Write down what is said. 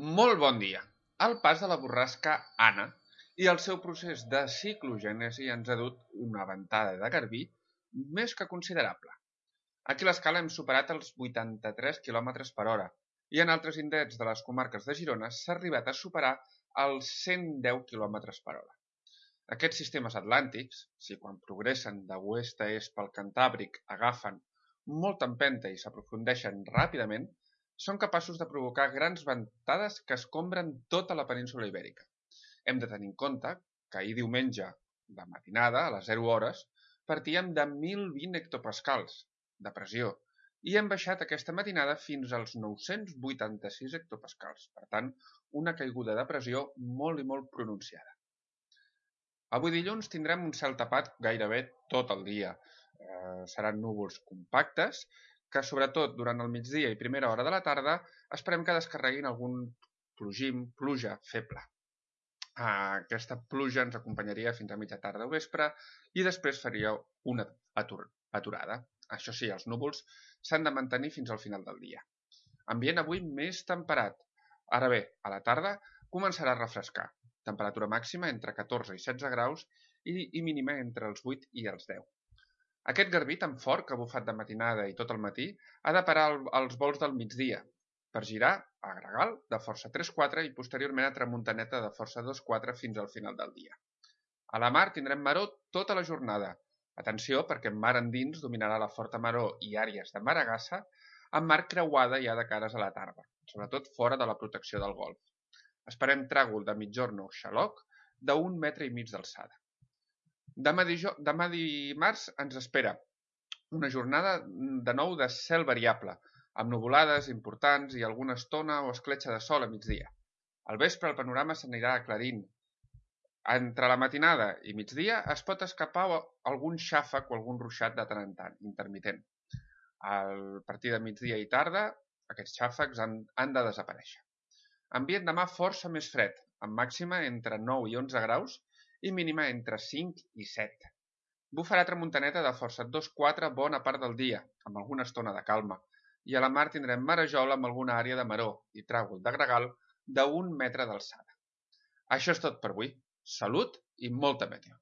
Molt bon dia. El pas de la borrasca Anna i el seu procés de ciclogènesi ens ha dut una ventada de garbí més que considerable. Aquí a l'escala hem superat els 83 km per hora i en altres indrets de les comarques de Girona s'ha arribat a superar els 110 km per hora. Aquests sistemes atlàntics, si quan progressen de oest a est pel Cantàbric agafen molta empenta i s'aprofundeixen ràpidament, són capaços de provocar grans ventades que escombren tota la península Ibèrica. Hem de tenir en compte que ahir diumenge, de matinada, a les 0 hores, partíem de 1.020 hectopascals de pressió i hem baixat aquesta matinada fins als 986 hectopascals. Per tant, una caiguda de pressió molt i molt pronunciada. Avui dilluns tindrem un cel tapat gairebé tot el dia. Seran núvols compactes que sobretot durant el migdia i primera hora de la tarda esperem que descarreguin algun pluja feble. Aquesta pluja ens acompanyaria fins a mitja tarda o vespre i després faria una aturada. Això sí, els núvols s'han de mantenir fins al final del dia. Ambient avui més temperat. Ara bé, a la tarda començarà a refrescar. Temperatura màxima entre 14 i 16 graus i mínima entre els 8 i els 10. Aquest garbí tan fort que ha bufat de matinada i tot el matí ha de parar als vols del migdia per girar a gregal de força 3-4 i posteriorment a tramuntaneta de força 2-4 fins al final del dia. A la mar tindrem maró tota la jornada. Atenció perquè en mar endins dominarà la forta maró i àrees de maragassa amb mar creuada ja de cares a la tarda, sobretot fora de la protecció del golf. Esperem tràgol de migjorn o xaloc d'1,5 metres d'alçada. Demà dimarts ens espera una jornada de nou de cel variable, amb nuvolades importants i alguna estona o escletxa de sol a migdia. Al vespre el panorama s'anirà aclarint. Entre la matinada i migdia es pot escapar algun xàfec o algun ruixat de tant en tant, intermitent. A partir de migdia i tarda, aquests xàfecs han de desaparèixer. Ambient demà força més fred, amb màxima entre 9 i 11 graus i mínima entre 5 i 7. Bufarà tramuntaneta de força 2-4 bona part del dia, amb alguna estona de calma, i a la mar tindrem marejol amb alguna àrea de maró i tràgol de gregal d'1 metre d'alçada. Això és tot per avui. Salut i molta meteo.